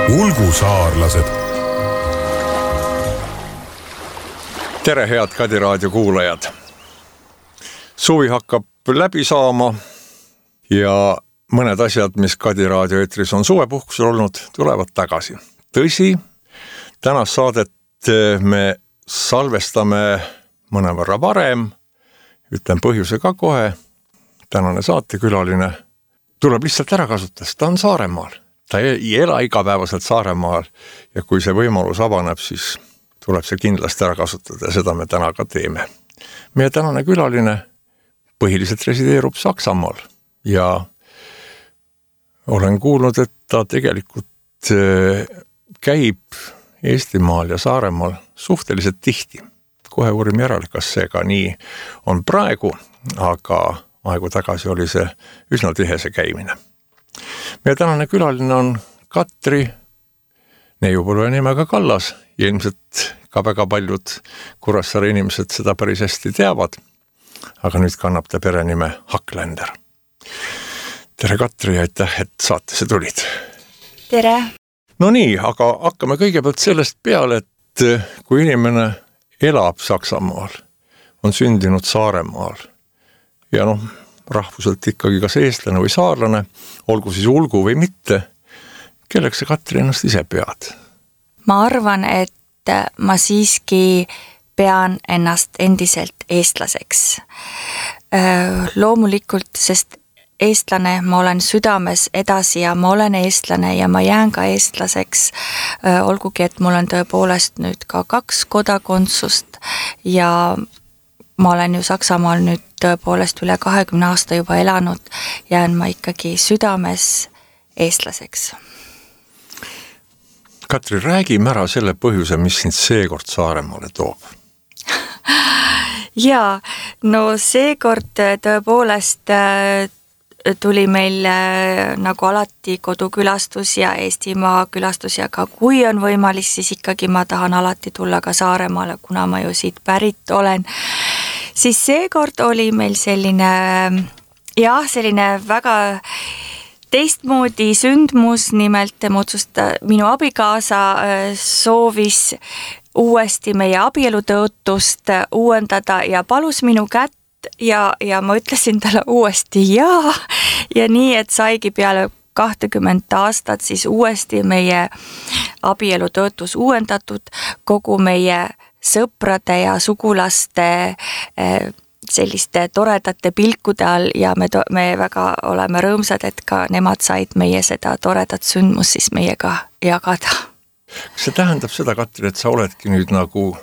ulgusaarlased. Tere, head Kadi raadio kuulajad. Suvi hakkab läbi saama ja mõned asjad, mis Kadi raadio eetris on suvepuhkusel olnud, tulevad tagasi. Tõsi, tänast saadet me salvestame mõnevõrra varem, ütlen põhjuse ka kohe. Tänane saatekülaline tuleb lihtsalt ära kasutada, ta on Saaremaal. Ta ei ela igapäevaselt Saaremaal ja kui see võimalus avaneb, siis tuleb see kindlasti ära kasutada ja seda me täna ka teeme. Meie tänane külaline põhiliselt resideerub Saksamaal ja olen kuulnud, et ta tegelikult käib Eestimaal ja Saaremaal suhteliselt tihti. Kohe uurime järele, kas see ka nii on praegu, aga aegu tagasi oli see üsna tihese käimine. Meie tänane külaline on Katri neiupõlve nimega Kallas ja ilmselt ka väga paljud Kuressaare inimesed seda päris hästi teavad, aga nüüd kannab ta perenime Haklender. Tere Katri ja aitäh, et saatesse tulid. Tere! No nii, aga hakkame kõigepealt sellest peale, et kui inimene elab Saksamaal, on sündinud Saaremaal ja rahvuselt ikkagi kas eestlane või saarlane, olgu siis ulgu või mitte, kelleks sa Katri ennast ise pead? Ma arvan, et ma siiski pean ennast endiselt eestlaseks. Loomulikult, sest eestlane ma olen südames edasi ja ma olen eestlane ja ma jään ka eestlaseks, olgugi, et mul on tõepoolest nüüd ka 2 kodakondsust ja ma olen ju Saksamaal nüüd tõepoolest üle 20 aasta juba elanud, jään ma ikkagi südames eestlaseks. Katri, räägime ära selle põhjuse, mis sind seekord Saaremaale toob. Jaa, no seekord tõepoolest tuli meil nagu alati kodukülastus ja Eestimaa külastus ja ka kui on võimalik, siis ikkagi ma tahan alati tulla ka Saaremaale, kuna ma ju siit pärit olen. Siis seekord oli meil selline väga teistmoodi sündmus, nimelt minu abikaasa soovis uuesti meie abielutõotust uuendada ja palus minu kätt ja ma ütlesin talle uuesti jaa ja nii, et saigi peale 20 aastat siis uuesti meie abielutõotus uuendatud kogu meie sõprade ja sugulaste selliste toredate pilkude all ja me väga oleme rõõmsad, et ka nemad said meie seda toredat sündmus siis meiega jagada. Kas see tähendab seda, Katri, et sa oledki nüüd nagu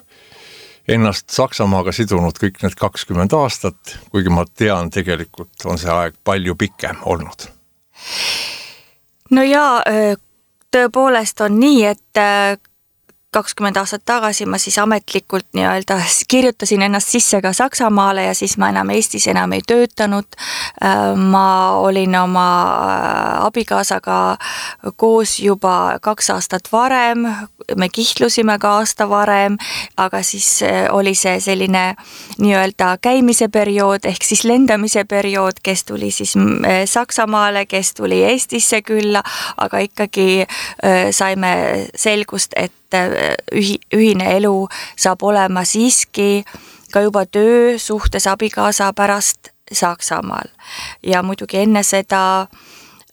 ennast Saksamaaga sidunud kõik need 20 aastat, kuigi ma tean, tegelikult on see aeg palju pikem olnud? No jaa, tõepoolest on nii, et 20 aastat tagasi ma siis ametlikult nii-öelda kirjutasin ennast sisse ka Saksamaale ja siis ma Eestis enam ei töötanud. Ma olin oma abikaasaga koos juba 2 aastat varem, me kihlusime ka aasta varem, aga siis oli see selline nii-öelda käimise periood ehk siis lendamise periood, kes tuli siis Saksamaale, kes tuli Eestisse külla, aga ikkagi saime selgust, et ühine elu saab olema siiski ka juba töö suhtes abikaasa pärast Saksamaal. Ja muidugi enne seda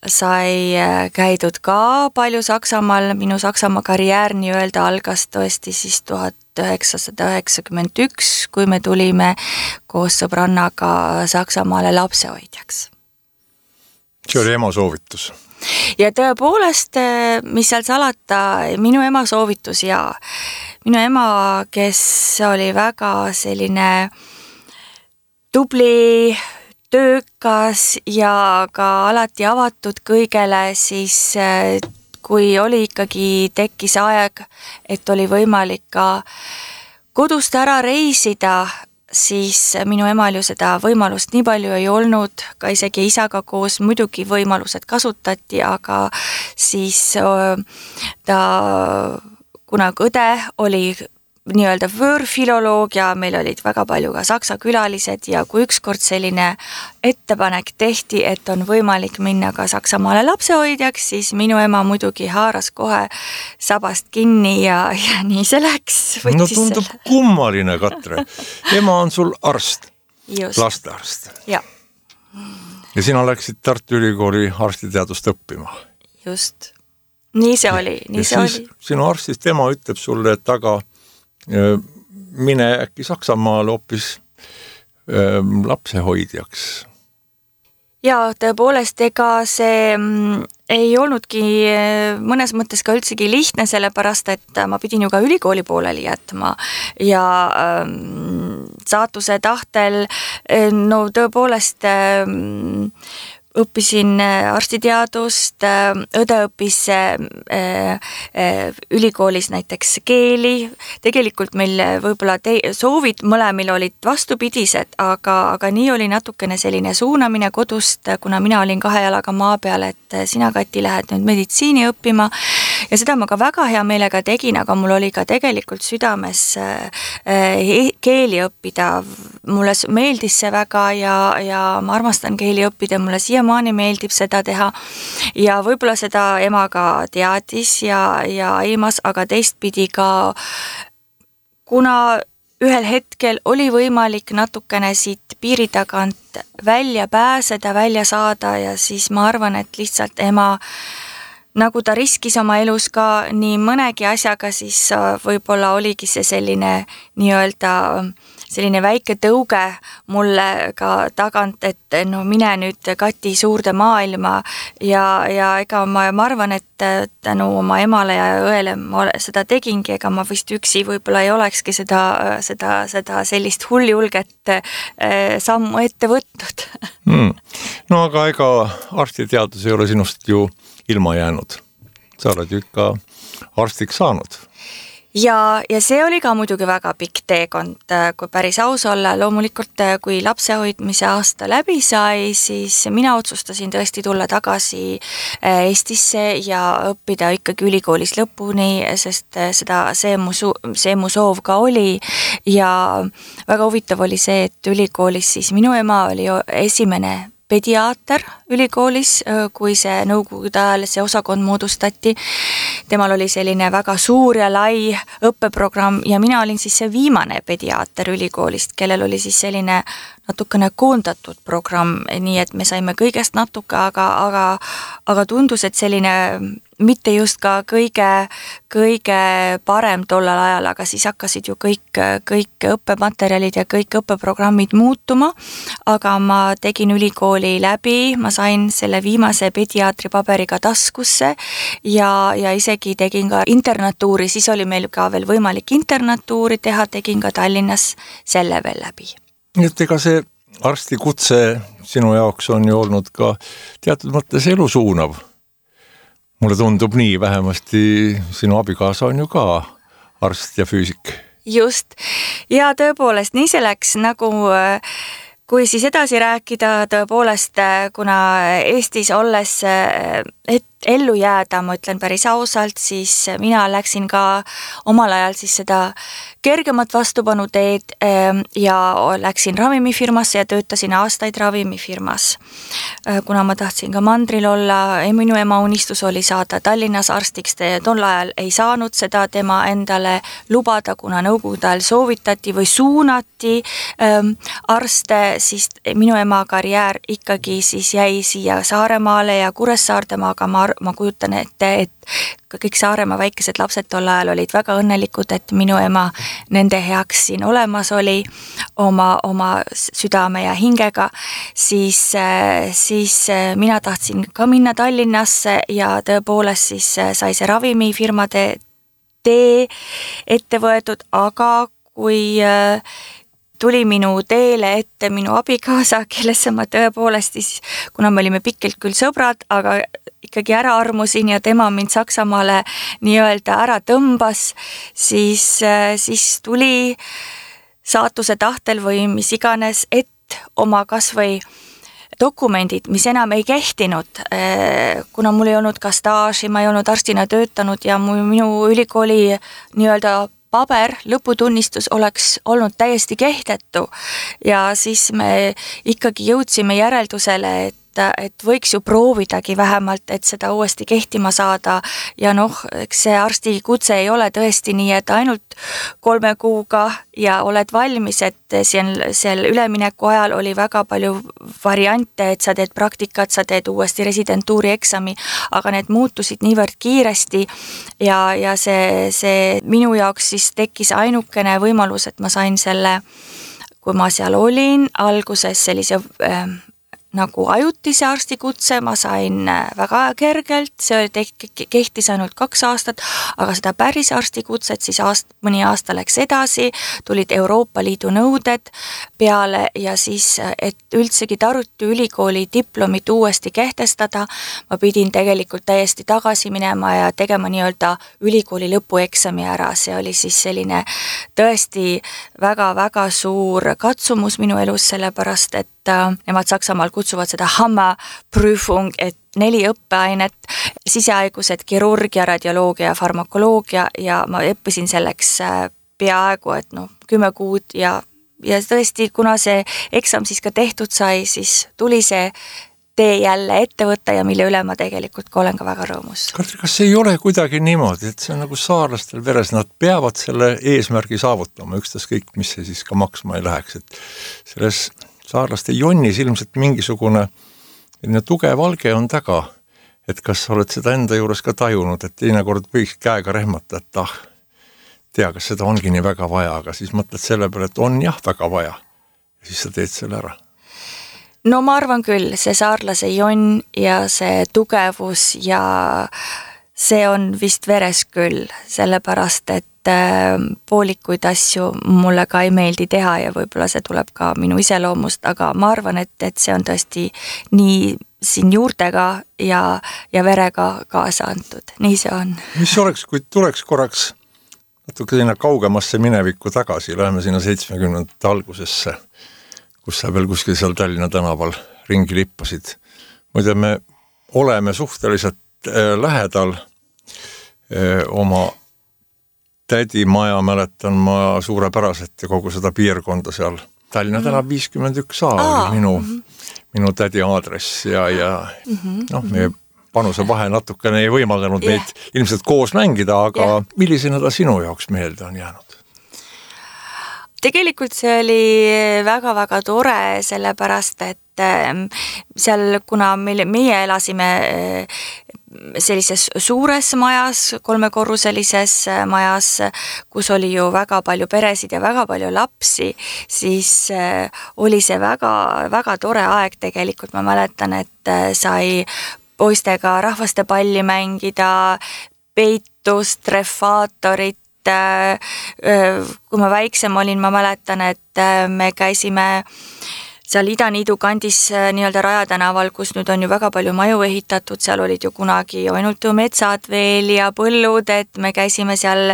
sai käidud ka palju Saksamaal, minu Saksamaa karjäär nii-öelda algas tõesti siis 1991, kui me tulime koos sõbrannaga Saksamaale lapsehoidjaks. See oli ema soovitus. Ja tõepoolest, mis seal salata, minu ema soovitus ja minu ema, kes oli väga selline tubli, töökas ja ka alati avatud kõigele, siis kui oli ikkagi tekkis aeg, et oli võimalik ka kodust ära reisida, siis minu emal ju seda võimalust nii palju ei olnud, ka isegi isaga koos muidugi võimalused kasutati, aga siis ta, kuna õde oli nii-öelda võõrfiloloogia, meil olid väga palju ka saksa külalised ja kui ükskord selline ettepanek tehti, et on võimalik minna ka Saksamaale lapsehoidjaks, siis minu ema muidugi haaras kohe sabast kinni ja nii see läks. No tundub kummaline, Katre. Ema on sul arst, lastearst. Ja sina läksid Tartu Ülikooli arstiteadust õppima. Just. Nii see oli. Sinu arstist ema ütleb sulle, et aga mine äkki Saksamaale hoopis lapsehoidjaks. Ja tõepoolest, ega see ei olnudki mõnes mõttes ka üldsegi lihtne, sellepärast, et ma pidin ju ka ülikooli pooleli jätma ja saatuse tahtel, no tõepoolest õppisin arstiteadust, õde õppis ülikoolis näiteks keeli, tegelikult meil võib-olla soovid mõlemil olid vastupidised, aga nii oli natukene selline suunamine kodust, kuna mina olin 2 jalaga maa peal, et sina, Kati, lähed nüüd meditsiini õppima ja seda ma ka väga hea meelega tegin, aga mul oli ka tegelikult südames keeli õppida. Mulle meeldis see väga ja ma armastan keeli õppida, mulle siiamaani meeldib seda teha ja võib-olla seda ema ka teadis ja aimas, aga teistpidi ka, kuna ühel hetkel oli võimalik natukene siit piiri tagant välja pääseda, välja saada ja siis ma arvan, et lihtsalt ema, nagu ta riskis oma elus ka nii mõnegi asjaga, siis võib-olla oligi see selline nii-öelda selline väike tõuge mulle ka tagant, et no mine nüüd, Kati, suurde maailma ja ega ma arvan, et tänu oma emale ja õele ma seda tegingi, ega ma vist üksi võib-olla ei olekski seda sellist hulljulget sammu ette võtnud. No aga ega arstiteadus ei ole sinust ju ilma jäänud. Sa oled ju ikka arstiks saanud. Ja see oli ka muidugi väga pikk teekond, kui päris aus olla. Loomulikult, kui lapsehoidmise aasta läbi sai, siis mina otsustasin tõesti tulla tagasi Eestisse ja õppida ikkagi ülikoolis lõpuni, sest see mu soov ka oli. Ja väga huvitav oli see, et ülikoolis siis minu ema oli esimene pediaater ülikoolis, kui see nõukogude ajal see osakond moodustati. Temal oli selline väga suur ja lai õppeprogramm ja mina olin siis see viimane pediaater ülikoolist, kellel oli siis selline natukene koondatud programm, nii et me saime kõigest natuke, aga tundus, et selline mitte just ka kõige parem tollal ajal, aga siis hakkasid ju kõik õppematerjalid ja kõik õppeprogrammid muutuma, aga ma tegin ülikooli läbi, ma sain selle viimase pediaatri paberiga taskusse ja isegi tegin ka internatuuri, siis oli meil ka veel võimalik internatuuri teha, tegin ka Tallinnas selle veel läbi. Nii et ega see arstikutse sinu jaoks on ju olnud ka teatud mõttes elusuunav. Mulle tundub nii, vähemasti sinu abikaasa on ju ka arst ja füüsik. Just, ja tõepoolest nii see läks, nagu kui siis edasi rääkida, tõepoolest kuna Eestis olles ellu jääda, ma ütlen päris ausalt, siis mina läksin ka omal ajal siis seda kergemat vastupanu teed ja läksin ravimifirmasse ja töötasin aastaid ravimifirmas. Kuna ma tahtsin ka mandril olla, minu ema unistus oli saada Tallinnas arstiks, tol ajal ei saanud seda tema endale lubada, kuna nõukogude ajal soovitati või suunati arste, siis minu ema karjäär ikkagi siis jäi siia Saaremaale ja Kuressaardema, aga ma kujutan ette, et kõik Saaremaa väikesed lapsed tol ajal olid väga õnnelikud, et minu ema nende heaks siin olemas oli oma südame ja hingega, siis mina tahtsin ka minna Tallinnasse ja tõepoolest siis sai see ravimifirmade tee ette võetud, aga kui tuli minu teele ette minu abikaasa, kellesse ma tõepoolest siis, kuna me olime pikalt küll sõbrad, aga ikkagi ära armusin ja tema mind Saksamaale nii-öelda ära tõmbas, siis tuli saatuse tahtel või mis iganes, et oma kas või dokumendid, mis enam ei kehtinud, kuna mul ei olnud ka staaži, ma ei olnud arstina töötanud ja minu ülikooli nii-öelda paber, lõputunnistus oleks olnud täiesti kehtetu ja siis me ikkagi jõudsime järeldusele, et võiks ju proovidagi vähemalt, et seda uuesti kehtima saada ja eks see arstikutse ei ole tõesti nii, et ainult 3 kuuga ja oled valmis, et seal ülemineku ajal oli väga palju variante, et sa teed praktikat, sa teed uuesti residentuuri eksami, aga need muutusid niivõrd kiiresti ja see minu jaoks siis tekkis ainukene võimalus, et ma sain selle, kui ma seal olin, alguses sellise nagu ajutise arstikutse ma sain väga kergelt, see kehtis ainult 2 aastat, aga seda päris arstikutset siis mõni aasta läks edasi, tulid Euroopa Liidu nõuded peale ja siis, et üldsegi Tartu ülikooli diplomit uuesti kehtestada, ma pidin tegelikult täiesti tagasi minema ja tegema nii-öelda ülikooli lõpueksami ära, see oli siis selline tõesti väga-väga suur katsumus minu elus, sellepärast et nemad Saksamaal kutsuvad seda Hammerprüfung, et 4 õppeainet, sisehaigused, kirurgia, radioloogia ja farmakoloogia ja ma õppisin selleks peaaegu, et 10 kuud ja tõesti, kuna see eksam siis ka tehtud sai, siis tuli see tee jälle ette võtta ja mille üle ma tegelikult ka olen ka väga rõõmus. Kas ei ole kuidagi niimoodi, et see on nagu saarlastel veres, nad peavad selle eesmärgi saavutama, ükstaskõik, mis see siis ka maksma ei läheks, et selles saarlaste jonnis ilmselt mingisugune tugev alge on taga, et kas oled seda enda juures ka tajunud, et teinekord võiks käega rehmata, et tea, kas seda ongi nii väga vaja, aga siis mõtled selle peale, et on jah väga vaja ja siis sa teed selle ära. No ma arvan küll, see saarlase jonn ja see tugevus ja see on vist veres küll, sellepärast et poolikuid asju mulle ka ei meeldi teha ja võib-olla see tuleb ka minu iseloomust, aga ma arvan, et see on tõesti nii siin juurtega ja verega kaasa antud, nii see on. Mis oleks, kui tuleks korraks natuke sinna kaugemasse minevikku tagasi, läheme sinna 70. algusesse, kus sa veel kuskil seal Tallinna tänaval ringi lippasid. Muide, me oleme suhteliselt lähedal oma tädimaja, mäletan ma suurepäraselt ja kogu seda piirkonda seal. Tallinna tänav 51A oli minu tädi aadress ja meie panuse vahe natukene ei võimaldanud meid ilmselt koos mängida, aga millisena ta sinu jaoks meelde on jäänud? Tegelikult see oli väga-väga tore, sellepärast et seal, kuna meie elasime sellises suures majas, 3-korruselises majas, kus oli ju väga palju peresid ja väga palju lapsi, siis oli see väga-väga tore aeg tegelikult. Ma mäletan, et sai poistega rahvastepalli mängida, peitust, refaatorit. Kui ma väiksem olin, ma mäletan, et me käisime seal Idaniidu kandis nii-öelda Raja tänaval, kus nüüd on ju väga palju maju ehitatud, seal olid ju kunagi ainult ju metsad veel ja põllud, et me käisime seal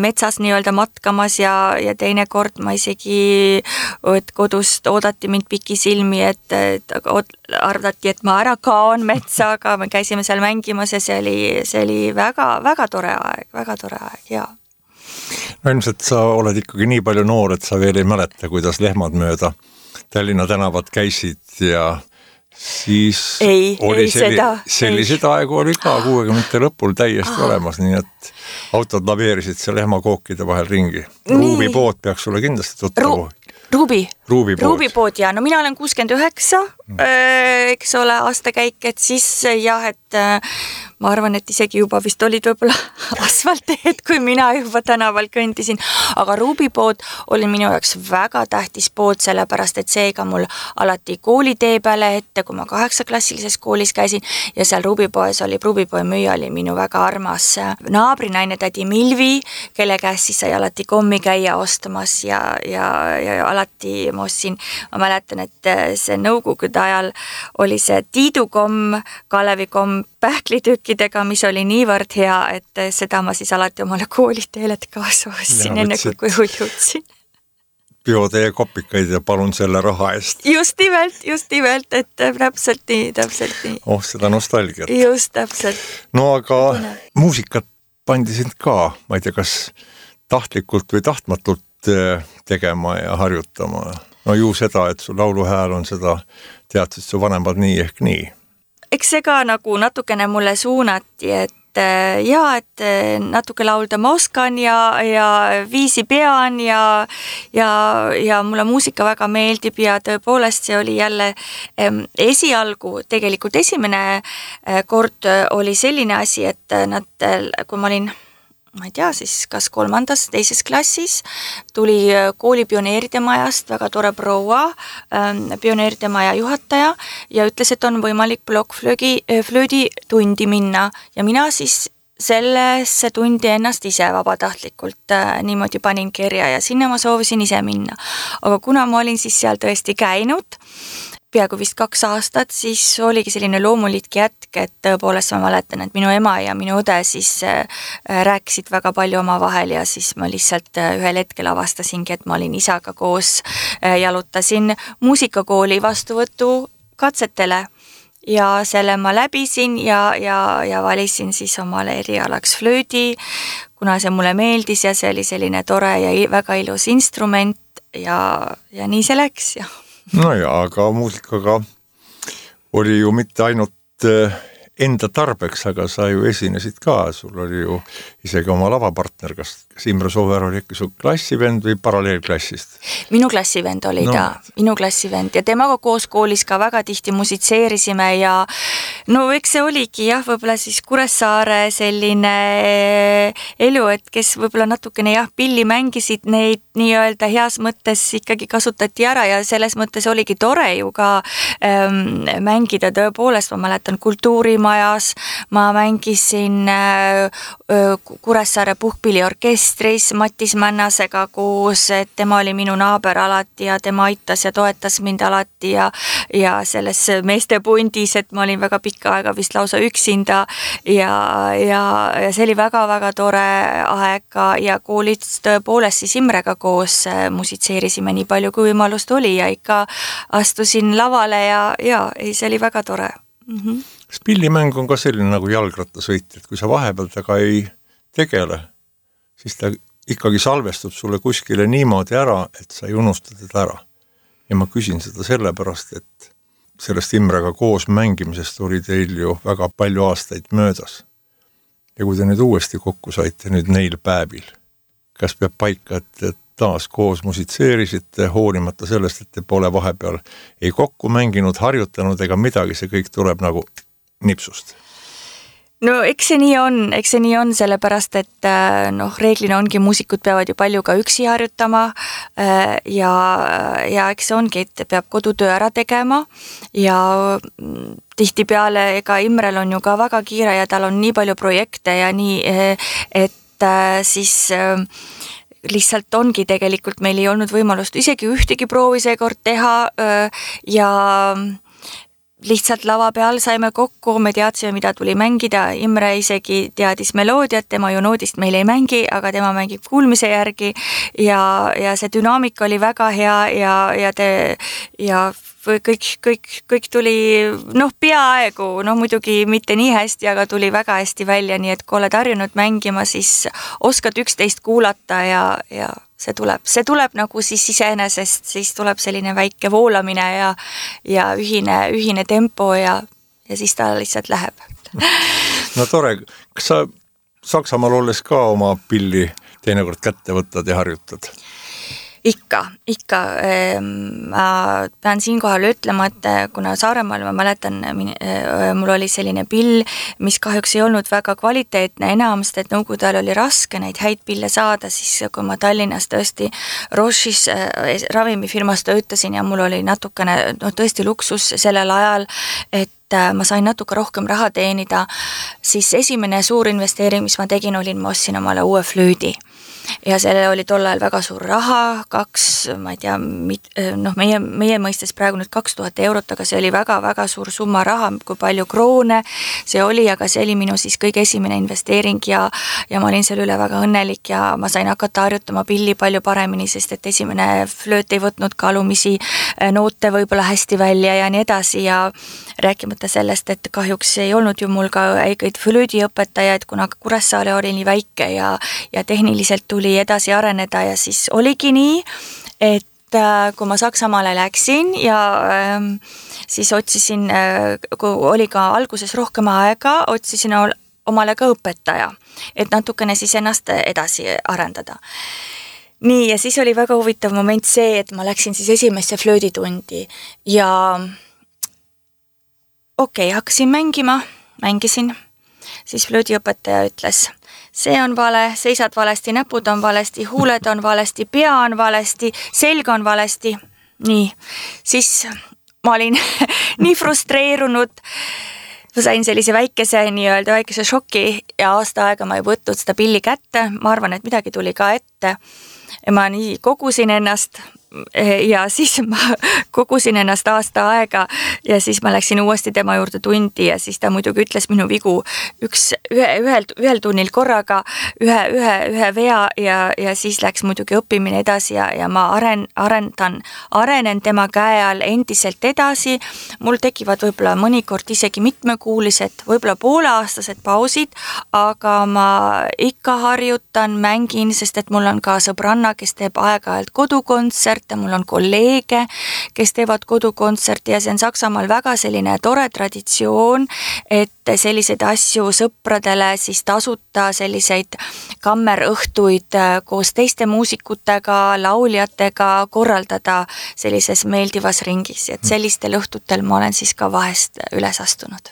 metsas nii-öelda matkamas ja teinekord ma isegi, et kodust oodati mind pikisilmi, et arvati, et ma ära kaon metsa, aga me käisime seal mängimas ja see oli väga tore aeg, jaa. No ilmselt sa oled ikkagi nii palju noor, et sa veel ei mäleta, kuidas lehmad mööda Tallinna tänavat käisid ja siis selliseid aegu oli ka 60. lõpul täiesti olemas, nii et autod laveerisid seal lehmakookide vahel ringi. Ruubipood peaks sulle kindlasti tuttavu. Ruubipood ja no mina olen 69, eks ole, aastakäik, et siis jah, et ma arvan, et isegi juba vist olid võib-olla asfalteed, kui mina juba tänaval kõndisin, aga Ruubipood oli minu jaoks väga tähtis pood, sellepärast et seega mul alati koolitee peale ette, kui ma 8-klassilises koolis käisin ja seal Ruubipoes oli, Ruubipoe müüja oli minu väga armas naabrinaine tädi Milvi, kelle käest siis sai alati kommi käia ostmas ja alati ma ostsin, ma mäletan, et see nõukogude ajal oli see tiidukomm, Kalevikom pähklitükkidega, mis oli niivõrd hea, et seda ma siis alati omale kooliteelet kaasa ostsin, enne kui jõudsin. Biotee kopikaid ja palun selle raha eest. Just nimelt, et täpselt nii. Seda nostalgiat. Just täpselt. No aga muusikat pandi sind ka, ma ei tea, kas tahtlikult või tahtmatult tegema ja harjutama. No ju seda, et su lauluhääl on seda, teadsid su vanemad nii ehk nii. Eks see ka nagu natukene mulle suunati, et natuke laulda ma oskan ja viisi pean ja mulle muusika väga meeldib ja tõepoolest see oli jälle esialgu, tegelikult esimene kord oli selline asi, et kui ma olin ma ei tea, siis kas 3., 2. klassis tuli kooli pioneeride majast väga tore proua, pioneeride maja juhataja ja ütles, et on võimalik blokkflöödi tundi minna ja mina siis sellesse tundi ennast ise vabatahtlikult niimoodi panin kirja ja sinna ma soovisin ise minna. Aga kuna ma olin siis seal tõesti käinud, peaaegu vist 2 aastat, siis oligi selline loomulik jätk, et tõepoolest ma mäletan, et minu ema ja minu õde siis rääkisid väga palju omavahel ja siis ma lihtsalt ühel hetkel avastasingi, et ma olin isaga koos, jalutasin muusikakooli vastuvõtu katsetele ja selle ma läbisin ja valisin siis omale erialaks flöödi, kuna see mulle meeldis ja see oli selline tore ja väga ilus instrument ja nii see läks ja no jaa, aga muusikaga oli ju mitte ainult enda tarbeks, aga sa ju esinesid ka, sul oli ju isegi oma lavapartner, kas Imre Sooäär oli ikka su klassivend või paralleelklassist? Minu klassivend oli minu klassivend ja temaga koos koolis ka väga tihti musitseerisime ja no eks see oligi jah, võib-olla siis Kuressaare selline elu, et kes võib-olla natukene pilli mängisid, neid nii-öelda heas mõttes ikkagi kasutati ära ja selles mõttes oligi tore ju ka mängida tõepoolest, ma mäletan kultuurimajas, ma mängisin Kuressaare puhkpilliorkestris Mattis Männasega koos, et tema oli minu naaber alati ja tema aitas ja toetas mind alati ja selles meestepundis, et ma olin väga pikka aega vist lausa üksinda ja see oli väga-väga tore aeg ja koolis tõepoolest siis Imrega koos musitseerisime nii palju, kui võimalust oli ja ikka astusin lavale ja see oli väga tore. Kas pillimäng on ka selline nagu jalgrattasõit, et kui sa vahepeal taga ei tegele, siis ta ikkagi salvestub sulle kuskile niimoodi ära, et sa ei unusta teda ära. Ja ma küsin seda sellepärast, et sellest Imrega koos mängimisest oli teil ju väga palju aastaid möödas. Ja kui te nüüd uuesti kokku saite nüüd neil päevil, kas peab paika, et taas koos musitseerisite, hoolimata sellest, et te pole vahepeal ei kokku mänginud, harjutanud ega midagi, see kõik tuleb nagu nipsust? No eks see nii on, sellepärast, et reeglina ongi, muusikud peavad ju palju ka üksi harjutama ja eks see ongi, et peab kodutöö ära tegema ja tihtipeale ega Imrel on ju ka väga kiire ja tal on nii palju projekte ja nii, et siis lihtsalt ongi tegelikult meil ei olnud võimalust isegi ühtegi proovi seekord teha ja lihtsalt lava peal saime kokku, me teadsime, mida tuli mängida, Imre isegi teadis meloodiat, tema ju noodist meil ei mängi, aga tema mängib kuulmise järgi ja see dünaamika oli väga hea ja kõik tuli peaaegu, muidugi mitte nii hästi, aga tuli väga hästi välja, nii et kui oled harjunud mängima, siis oskad üksteist kuulata ja see tuleb nagu siis iseenesest, siis tuleb selline väike voolamine ja ühine tempo ja siis ta lihtsalt läheb. No tore, kas sa Saksamaal olles ka oma pilli teinekord kätte võtad ja harjutad? Ikka. Ma pean siinkohal ütlema, et kuna Saaremaal ma mäletan, mul oli selline pill, mis kahjuks ei olnud väga kvaliteetne enam, sest et nõukogude ajal oli raske neid häid pille saada, siis kui ma Tallinnas tõesti Roche'is ravimifirmas töötasin ja mul oli natukene tõesti luksus sellel ajal, et ma sain natuke rohkem raha teenida, siis esimene suur investeering, mis ma tegin, ma ostsin omale uue flöödi. Ja selle oli tol ajal väga suur raha, ma ei tea, meie mõistes praegu nüüd 2000 eurot, aga see oli väga-väga suur summa raha, kui palju kroone see oli, aga see oli minu siis kõige esimene investeering ja ma olin selle üle väga õnnelik ja ma sain hakata harjutama pilli palju paremini, sest et esimene flööt ei võtnud ka alumisi noote võib-olla hästi välja ja nii edasi ja rääkimata sellest, et kahjuks ei olnud ju mul ka õigeid flöödiõpetajaid, kuna Kuressaare oli nii väike ja tehniliselt tuli edasi areneda ja siis oligi nii, et kui ma Saksamaale läksin ja siis otsisin, kui oli ka alguses rohkem aega, otsisin omale ka õpetaja, et natukene siis ennast edasi arendada. Nii, ja siis oli väga huvitav moment see, et ma läksin siis esimesse flööditundi ja hakkasin mängisin, siis flöödiõpetaja ütles, see on vale, seisad valesti, näpud on valesti, huuled on valesti, pea on valesti, selg on valesti. Nii, siis ma olin nii frustreerunud, ma sain sellise väikese šoki ja aasta aega ma ei võtnud seda pilli kätte, ma arvan, et midagi tuli ka ette. Ma nii kogusin ennast ja siis ma kogusin ennast aasta aega ja siis ma läksin uuesti tema juurde tundi ja siis ta muidugi ütles minu vigu ühel tunnil korraga, ühe vea ja siis läks muidugi õppimine edasi ja ma arenen tema käe all endiselt edasi. Mul tekivad võib-olla mõnikord isegi mitmekuulised, võib-olla pooleaastased pausid, aga ma ikka harjutan, mängin, sest et mul on ka sõbranna, kes teeb aeg-ajalt kodukontserte, mul on kolleege, kes teevad kodukontserti ja see on Saksamaal väga selline tore traditsioon, et selliseid asju sõpradele siis tasuta selliseid kammerõhtuid koos teiste muusikutega, lauljatega korraldada sellises meeldivas ringis, et sellistel õhtutel ma olen siis ka vahest üles astunud.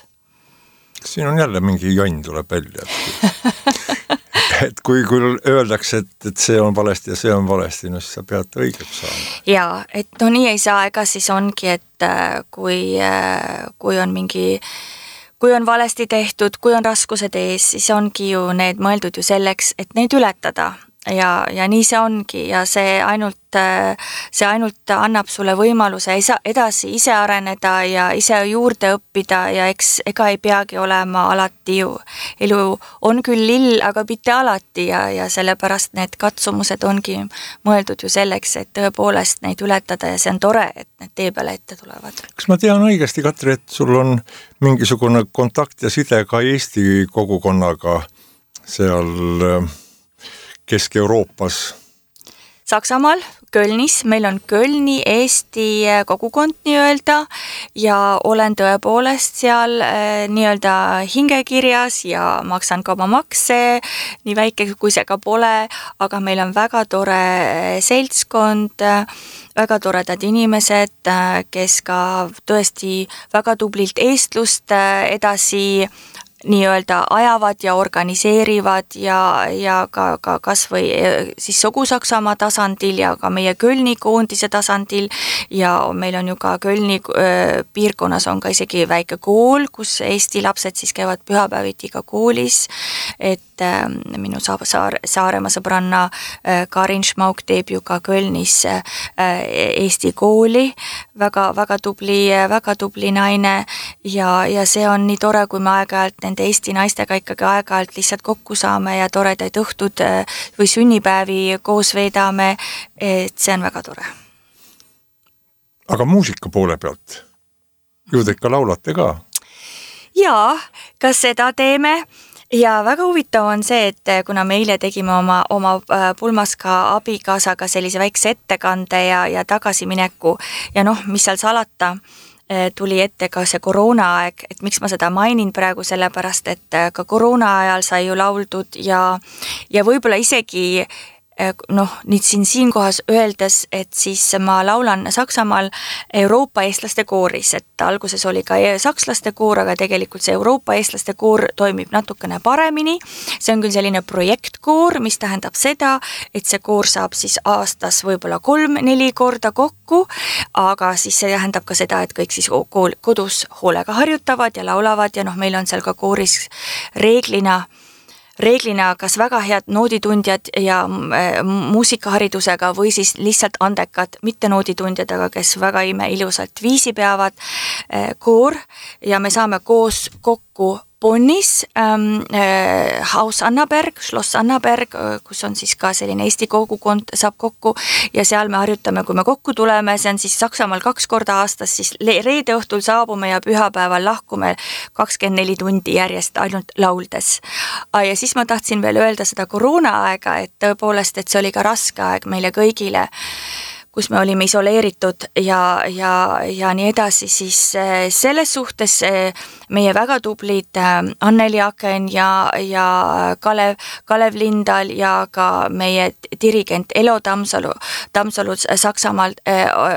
Siin on jälle mingi jonn tuleb välja. Et kui öeldakse, et see on valesti ja see on valesti, no siis sa pead õigeks saama. Jaa, et no nii ei saa, ega siis ongi, et kui on valesti tehtud, kui on raskused ees, siis ongi ju need mõeldud ju selleks, et neid ületada. Ja nii see ongi ja see ainult annab sulle võimaluse edasi ise areneda ja ise juurde õppida ja ega ei peagi olema alati ju. Elu on küll lill, aga mitte alati ja sellepärast need katsumused ongi mõeldud ju selleks, et tõepoolest neid ületada ja see on tore, et need tee peale ette tulevad. Kas ma tean õigesti, Katri, et sul on mingisugune kontakt ja side ka Eesti kogukonnaga seal Kesk-Euroopas? Saksamaal, Kölnis, meil on Kölni Eesti kogukond nii-öelda ja olen tõepoolest seal nii-öelda hingekirjas ja maksan ka oma makse, nii väike kui see ka pole, aga meil on väga tore seltskond, väga toredad inimesed, kes ka tõesti väga tublilt eestlust edasi nii-öelda ajavad ja organiseerivad ja ka kas või siis Sogu-Saksamaa tasandil ja ka meie Kölni koondise tasandil ja meil on ju ka Kölni piirkonnas on ka isegi väike kool, kus Eesti lapsed siis käivad pühapäeviti ka koolis, et minu Saaremaa sõbranna Karin Schmauk teeb ju ka Kölnis Eesti kooli, väga tubli naine ja see on nii tore, kui me aeg-ajalt nende Eesti naistega ikkagi aeg-ajalt lihtsalt kokku saame ja toredaid õhtud või sünnipäevi koos veedame, et see on väga tore. Aga muusika poole pealt? Ju te ikka laulate ka? Jaa, kas seda teeme? Ja väga huvitav on see, et kuna me eile tegime oma Pulmaska abikaasaga sellise väikse ettekande ja tagasimineku ja mis seal salata, tuli ette ka see koroonaaeg, et miks ma seda mainin praegu, sellepärast, et ka koroona ajal sai ju lauldud ja võib-olla isegi nüüd siinkohas öeldes, et siis ma laulan Saksamaal Euroopa eestlaste kooris, et alguses oli ka sakslaste koor, aga tegelikult see Euroopa eestlaste koor toimib natukene paremini. See on küll selline projektkoor, mis tähendab seda, et see koor saab siis aastas võib-olla 3-4 korda kokku, aga siis see tähendab ka seda, et kõik siis kodus hoolega harjutavad ja laulavad ja meil on seal ka kooris reeglina kas väga head nooditundjad ja muusikaharidusega või siis lihtsalt andekad, mitte nooditundjad, aga kes väga ilusalt viisi peavad koor ja me saame koos kokku Bonnis Haus Annaberg, Schloss Annaberg, kus on siis ka selline Eesti kogukond saab kokku ja seal me harjutame, kui me kokku tuleme, see on siis Saksamaal 2 korda aastas, siis reede õhtul saabume ja pühapäeval lahkume 24 tundi järjest ainult lauldes. Ja siis ma tahtsin veel öelda seda koroonaaega, et tõepoolest, et see oli ka raske aeg meile kõigile, kus me olime isoleeritud ja nii edasi, siis selles suhtes meie väga tublid Anneli Aken ja Kalev Lindal ja ka meie dirigent Elo Tammsalu Saksamaalt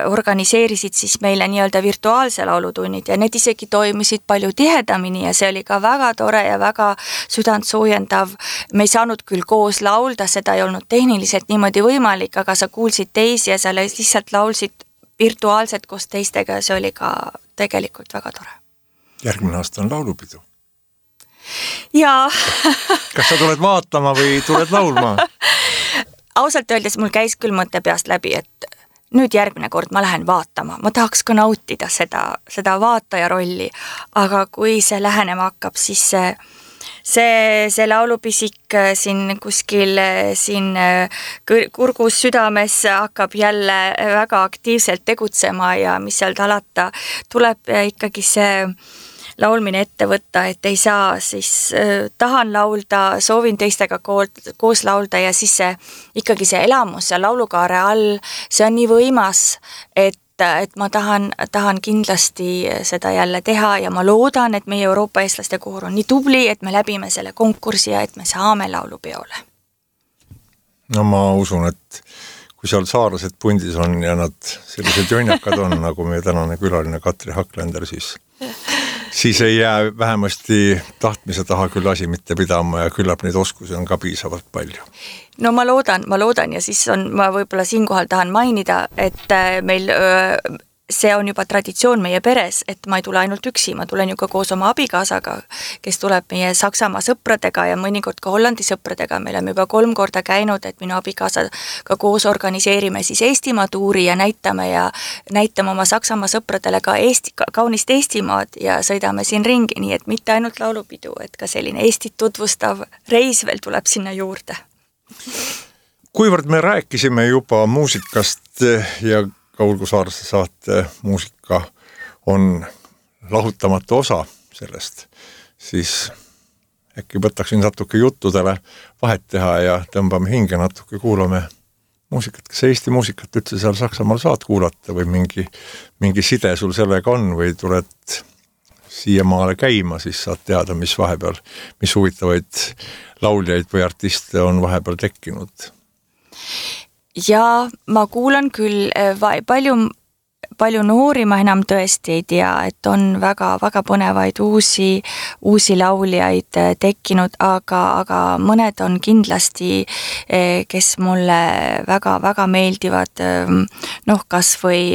organiseerisid siis meile nii-öelda virtuaalse laulutunnid ja need isegi toimisid palju tihedamini ja see oli ka väga tore ja väga südantsoojendav. Me ei saanud küll koos laulda, seda ei olnud tehniliselt niimoodi võimalik, aga sa kuulsid teisi ja sa lihtsalt laulsid virtuaalselt koos teistega ja see oli ka tegelikult väga tore. Järgmine aasta on laulupidu. Jaa. Kas sa tuled vaatama või tuled laulma? Ausalt öeldes mul käis küll mõte peast läbi, et nüüd järgmine kord ma lähen vaatama. Ma tahaks ka nautida seda vaataja rolli, aga kui see lähenema hakkab, siis see laulupisik siin kuskil siin kurgus südames hakkab jälle väga aktiivselt tegutsema ja mis seal talata, tuleb ikkagi see laulmine ette võtta, et ei saa, siis tahan laulda, soovin teistega koos laulda ja siis ikkagi see elamus ja laulukaare all, see on nii võimas, et ma tahan kindlasti seda jälle teha ja ma loodan, et meie Euroopa eestlaste koor on nii tubli, et me läbime selle konkursi ja et me saame laulupeole. No ma usun, et kui seal saarlased pundis on ja nad sellised jonjakad on, nagu meie tänane külaline Katri Haklender, siis ei jää vähemasti tahtmise taha küll asi mitte pidama ja küllap neid oskusi on ka piisavalt palju. No ma loodan ja siis ma võib-olla siinkohal tahan mainida, et meil see on juba traditsioon meie peres, et ma ei tule ainult üksi, ma tulen ju ka koos oma abikaasaga, kes tuleb meie Saksamaa sõpradega ja mõnikord ka Hollandi sõpradega. Me oleme juba 3 korda käinud, et minu abikaasaga koos organiseerime siis Eestimaa tuuri ja näitame oma Saksamaa sõpradele ka kaunist Eestimaad ja sõidame siin ringi, nii et mitte ainult laulupidu, et ka selline Eestit tutvustav reis veel tuleb sinna juurde. Kuivõrd me rääkisime juba muusikast ja Kaulgu Saarse saate muusika on lahutamatu osa sellest, siis äkki võtaksin natuke juttudele vahet teha ja tõmbame hinge natuke, kuulame muusikat. Kas Eesti muusikat üldse seal Saksamaal saad kuulata või mingi side sul sellega on või tuled siia maale käima, siis saad teada, mis vahepeal, mis huvitavaid lauljaid või artiste on vahepeal tekkinud? Ja ma kuulan küll palju noori, ma enam tõesti ei tea, et on väga põnevaid uusi lauljaid tekkinud, aga mõned on kindlasti, kes mulle väga meeldivad, kas või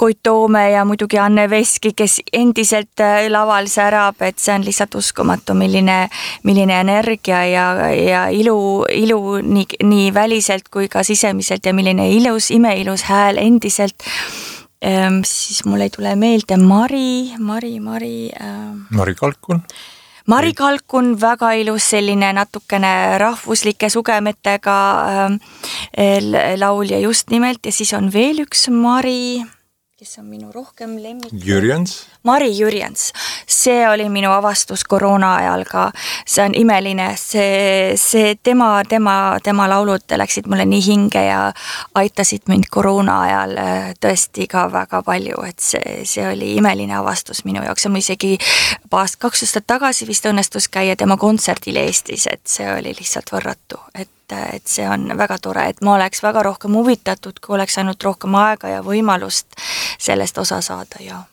Koit Toome ja muidugi Anne Veski, kes endiselt laval särab, et see on lihtsalt uskumatu, milline energia ja ilu nii väliselt kui ka sisemiselt ja milline imeilus hääl endiselt. Siis mul ei tule meelde Mari Kalkun. Mari Kalkun, väga ilus selline natukene rahvuslike sugemetega laulja just nimelt ja siis on veel üks Mari, kes on minu rohkem lemmik. Mari Jürjens. See oli minu avastus koroona ajal ka. See on imeline. See tema laulud läksid mulle nii hinge ja aitasid mind koroona ajal tõesti ka väga palju, et see oli imeline avastus minu jaoks. Ja ma isegi 2 aastat tagasi vist õnnestus käia tema kontserdil Eestis, et see oli lihtsalt võrratu, et see on väga tore, et ma oleks väga rohkem huvitatud, kui oleks ainult rohkem aega ja võimalust sellest osa saada ja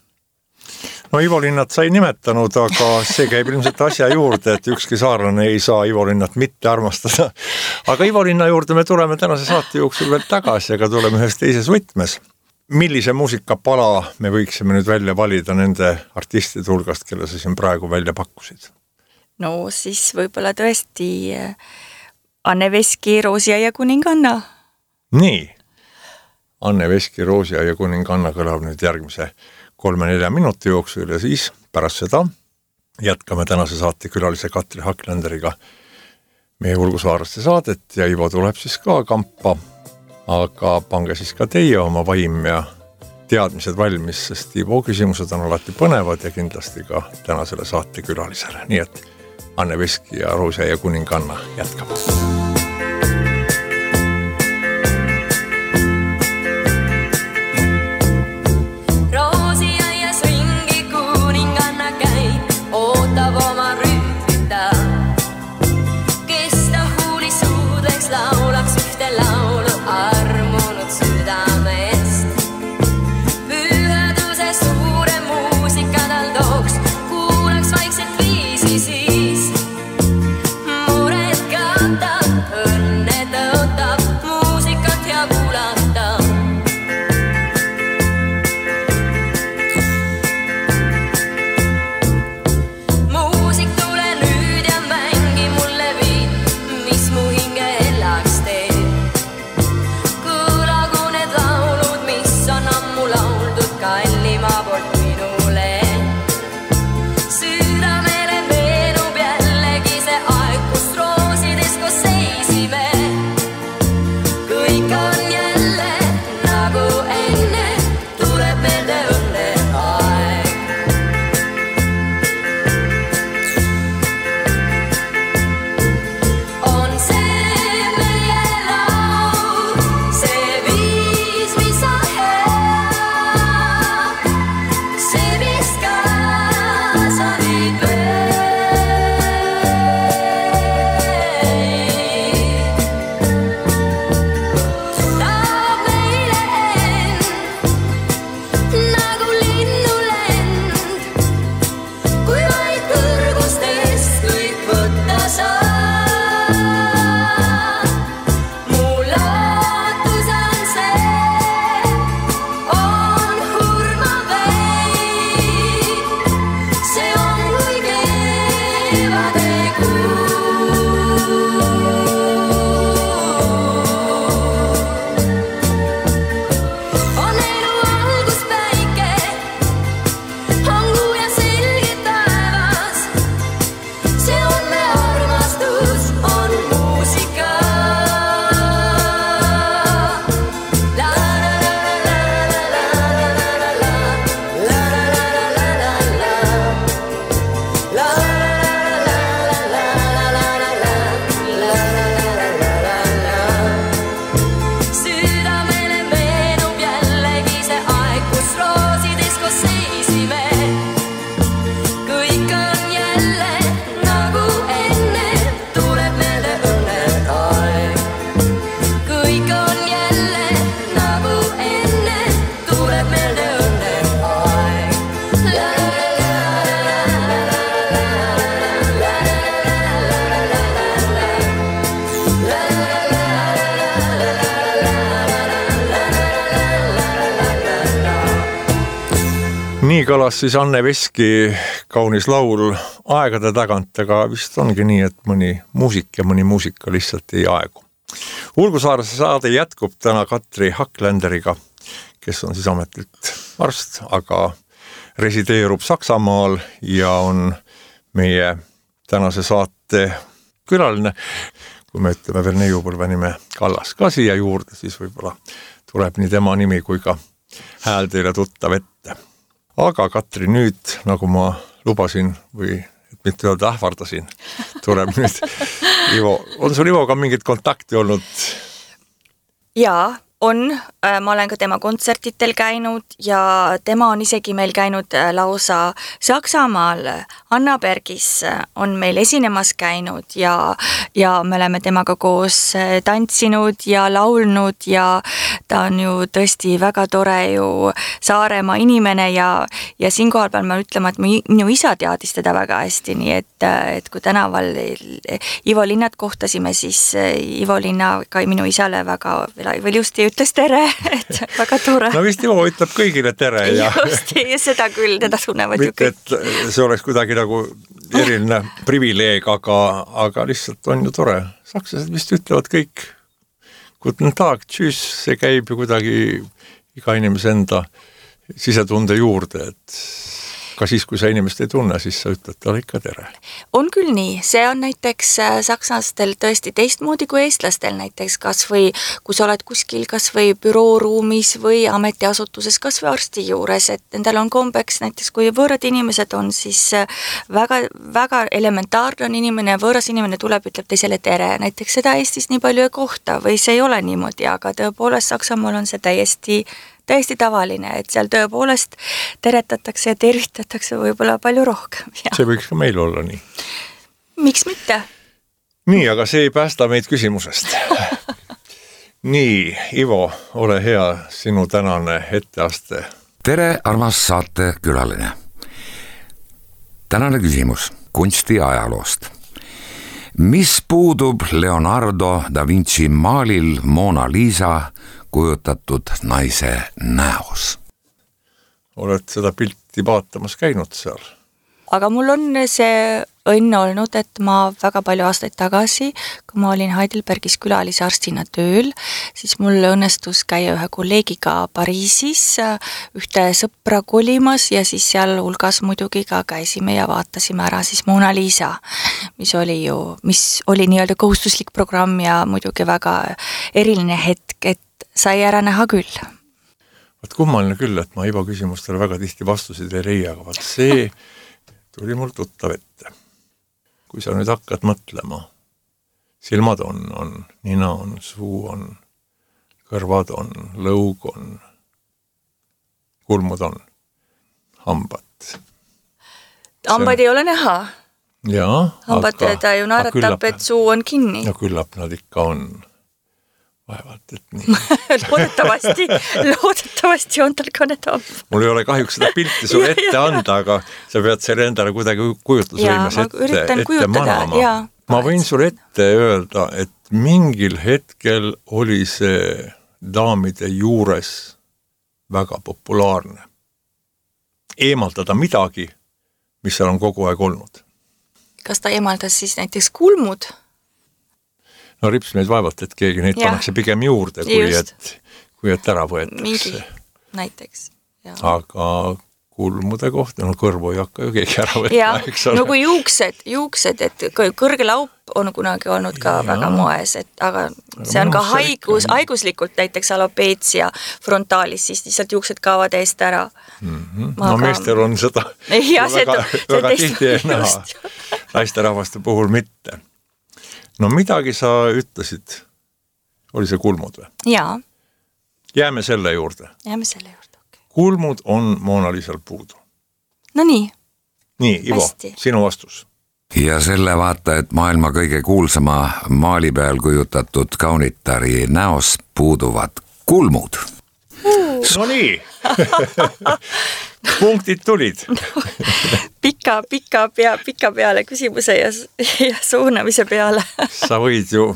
No Ivo Linnat sai nimetanud, aga see käib ilmselt asja juurde, et ükski saarlane ei saa Ivo Linnat mitte armastada. Aga Ivo Linna juurde me tuleme tänase saate jooksul veel tagasi, aga tuleme ühes teises võtmes. Millise muusikapala me võiksime nüüd välja valida nende artistide hulgast, kelle sa siin praegu välja pakkusid? No siis võib-olla tõesti Anne Veski, Roosia ja kuninganna. Nii, Anne Veski, Roosia ja kuninganna kõlab nüüd järgmise 3-4 minuti jooksul ja siis pärast seda jätkame tänase saate külalise Katri Hakklenderiga meie Ulgusaareste saadet ja Ivo tuleb siis ka kampa, aga pange siis ka teie oma vaim ja teadmised valmis, sest Ivo küsimused on alati põnevad ja kindlasti ka tänasele saate külalisele. Nii et Anne Veski ja Roose ja kuninganna jätkab. Nii kõlas siis Anne Veski kaunis laul aegade tagant, aga vist ongi nii, et mõni muusik ja mõni muusika lihtsalt ei aegu. Ulgusaarese saade jätkub täna Katri Hakklenderiga, kes on siis ametlikult arst, aga resideerub Saksamaal ja on meie tänase saate külaline. Kui me ütleme veel neiupõlve nime Kallas ka siia juurde, siis võib-olla tuleb nii tema nimi kui ka hääl teile tuttav ette. Aga Katri, nüüd, nagu ma lubasin või et mitte öelda ähvardasin, tuleb nüüd Ivo. On sul Ivoga mingit kontakti olnud? Jaa, on. Ma olen ka tema kontsertitel käinud ja tema on isegi meil käinud lausa Saksamaal. Annabergis on meil esinemas käinud ja me oleme temaga koos tantsinud ja laulnud ja ta on ju tõesti väga tore ju Saaremaa inimene ja siinkohal pean ma ütlema, et minu isa teadis teda väga hästi, nii et kui tänaval Ivo Linnat kohtasime, siis Ivo Linna ka minu isale väga ilusti ütles tere, et väga tore. No vist Ivo ütleb kõigile tere. Just, ja seda küll, teda tunnevad ju kõik. Mitte, et see oleks kuidagi nagu eriline privileeg, aga lihtsalt on ju tore. Sakslased vist ütlevad kõik guten tag, tšüss, see käib ju kuidagi iga inimese enda sisetunde juurde, et Ka siis, kui sa inimest ei tunne, siis sa ütled talle ikka tere. On küll nii, see on näiteks sakslastel tõesti teistmoodi kui eestlastel näiteks, kas või kui sa oled kuskil kas või bürooruumis või ametiasutuses, kas või arsti juures, et nendel on kombeks näiteks, kui võõrad inimesed on, siis väga, väga elementaarne on inimene, võõras inimene tuleb, ütleb teisele tere, näiteks seda Eestis nii palju ei kohta või see ei ole niimoodi, aga tõepoolest Saksamaal on see täiesti tavaline, et seal tõepoolest teretatakse ja tervitatakse võib-olla palju rohkem. Ja. See võiks ka meil olla nii. Miks mitte? Nii, aga see ei päästa meid küsimusest. Nii, Ivo, ole hea, sinu tänane etteaste. Tere, armas saate külaline. Tänane küsimus kunsti ajaloost. Mis puudub Leonardo da Vinci maalil Mona Lisa kujutatud naise näos? Oled seda pilti vaatamas käinud seal? Aga mul on see õnn olnud, et ma väga palju aastaid tagasi, kui ma olin Heidelbergis külalisarstina tööl, siis mul õnnestus käia ühe kolleegiga Pariisis, ühte sõpra kolimas ja siis seal hulgas muidugi ka käisime ja vaatasime ära siis Mona Lisa, mis oli nii-öelda kohustuslik programm ja muidugi väga eriline hetk, et sai ära näha küll. Vaat kummaline küll, et ma Ivo küsimustele väga tihti vastusid ei leia, aga vaat see tuli mul tuttav ette. Kui sa nüüd hakkad mõtlema, silmad on, nina on, suu on, kõrvad on, lõug on, kulmud on, hambad. Hambad ei ole näha. Jaa. Hambad ta ju naeratab, et suu on kinni. Ja küllap nad ikka on. Vaevalt, et nii. loodetavasti on tal ka need hambad. Mul ei ole kahjuks seda pilti sulle ette anda, aga sa pead selle endale kuidagi kujutlusvõimes ette manama. Ma võin sulle ette öelda, et mingil hetkel oli see daamide juures väga populaarne. Eemaldada midagi, mis seal on kogu aeg olnud. Kas ta eemaldas siis näiteks kulmud? No rips meid vaevalt, et keegi neid pannakse pigem juurde, kui et ära võetakse. Mingi näiteks. Ja. Aga kulmude kohta, no kõrvu ei hakka ju keegi ära võtma. No kui juuksed, et kõrge laup on kunagi olnud ka väga moes, aga see on ka haiguslikult näiteks alopeetsia frontaalis, siis lihtsalt juuksed kaovad eest ära. No meestel on seda väga tihti ei näha, naisterahvaste puhul mitte. No midagi sa ütlesid, oli see kulmud või? Jaa. Jääme selle juurde. Okay. Kulmud on Mona Lisal puudu. No nii. Nii, Ivo, sinu vastus. Ja selle vaata, et maailma kõige kuulsama maali peal kujutatud kaunitari näos puuduvad kulmud. No nii. Punktid tulid. Pika peale küsimuse ja suunamise peale. Sa võid ju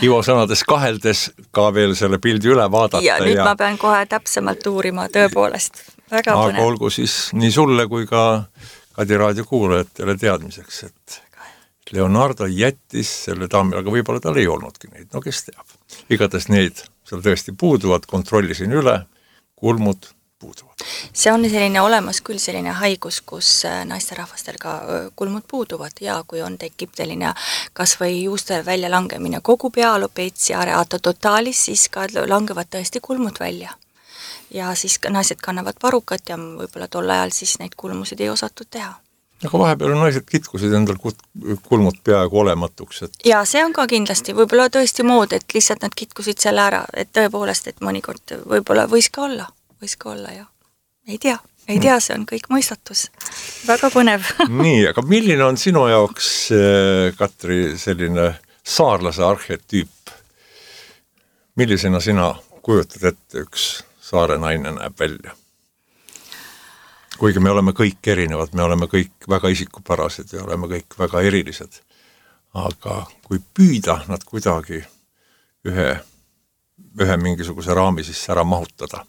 Ivo sõnades kaheldes ka veel selle pildi üle vaadata. Ja nüüd ma pean kohe täpsemalt uurima, tõepoolest. Väga põnev. Aga olgu siis nii sulle kui ka Kadi raadio kuulajatele teadmiseks, et Leonardo jättis selle daamile, aga võib-olla tal ei olnudki neid, no kes teab. Igatahes neid seal tõesti puuduvad, kontrollisin üle, kulmud puuduvad. See on selline olemas küll selline haigus, kus naisterahvastel ka kulmud puuduvad ja kui tekib selline kas või juuste väljalangemine kogu pea alopeetsia areata totaalis, siis ka langevad tõesti kulmud välja. Ja siis naised kannavad parukat ja võib-olla tol ajal siis neid kulmusid ei osatud teha. Aga vahepeal naised kitkusid endal kulmud peaaegu olematuks. Ja see on ka kindlasti võib-olla tõesti mood, et lihtsalt nad kitkusid selle ära, et tõepoolest, et mõnikord võib-olla võis ka olla ja ei tea, see on kõik mõistatus. Väga põnev. Nii, aga milline on sinu jaoks, Katri, selline saarlase arhetüüp? Millisena sina kujutad ette üks saare naine näeb välja? Kuigi me oleme kõik erinevad, me oleme kõik väga isikupärased ja oleme kõik väga erilised. Aga kui püüda nad kuidagi ühe mingisuguse raami sisse ära mahutada.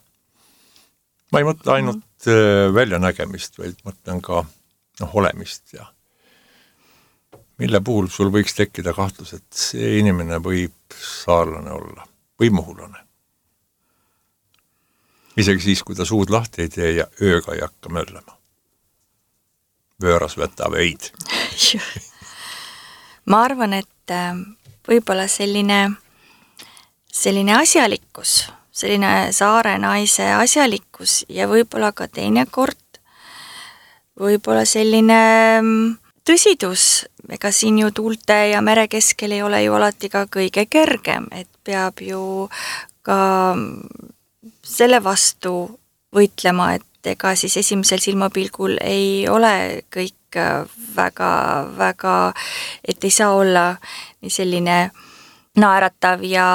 Ma ei mõtle ainult väljanägemist, vaid mõtlen ka olemist ja mille puhul sul võiks tekkida kahtlus, et see inimene võib saarlane olla või muhulane. Isegi siis, kui ta suud lahti ei tee ja ööga ei hakka möllema. vööras võta veid. Ma arvan, et võib-olla selline asjalikkus, selline saare naise asjalikkus ja võib-olla ka teinekord võib-olla selline tõsidus, ega siin ju tuulte ja mere keskel ei ole ju alati ka kõige kergem, et peab ju ka selle vastu võitlema, et ega siis esimesel silmapilgul ei ole kõik väga, et ei saa olla nii selline naeratav ja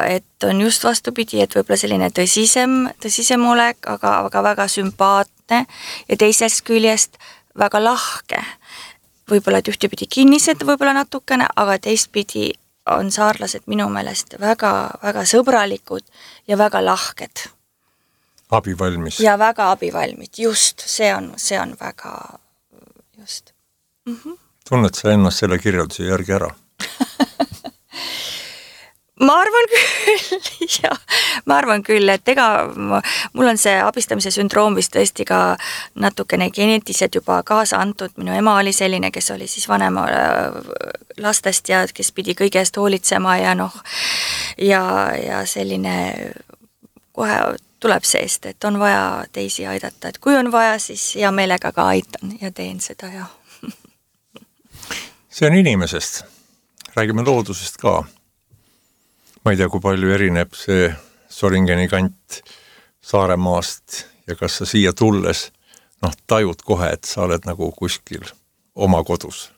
et on just vastupidi, et võib-olla selline tõsisem olek, aga väga sümpaatne ja teisest küljest väga lahke. Võib-olla et ühtepidi kinnised võib-olla natukene, aga teistpidi on saarlased minu meelest väga sõbralikud ja väga lahked. Abivalmis. Ja väga abivalmid, just, see on väga just. Tunned sa ennast selle kirjelduse järgi ära? Ma arvan küll, et ega mul on see abistamise sündroom vist tõesti ka natukene geneetiliselt juba kaasa antud. Minu ema oli selline, kes oli siis vanema lastest ja kes pidi kõige eest hoolitsema ja selline kohe tuleb seest, et on vaja teisi aidata, et kui on vaja, siis hea meelega ka aitan ja teen seda ja. See on inimesest. Räägime loodusest ka. Ma ei tea, kui palju erineb see Soringeni kant Saaremaast ja kas sa siia tulles tajud kohe, et sa oled nagu kuskil oma kodus.